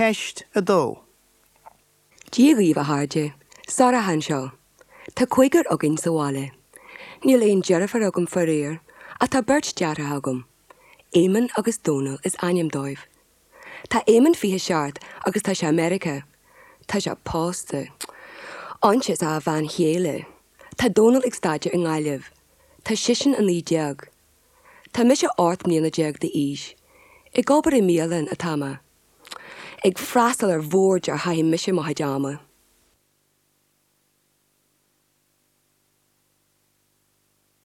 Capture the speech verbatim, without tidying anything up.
Ceist a dó. Dia dhaoibh a chairde, Sorcha anseo. Tá cúigear againn sa bhaile. Níl aon deirfiúr agam faraor, ach tá beirt deartháir agam. Éamonn agus Dónal is ainm dóibh. Tá Éamonn fiche seacht agus tá sé i Meiriceá. Tá sé pósta. Áine is a bhean chéile. Tá Dónal ag staidéar i nGaillimh. Tá seisean a naoi déag. Tá mise ocht mbliana déag d'aois. Ag obair i mbialann atá mé. Ag freastal ar bhoird a chaithim mise mo chuid ama.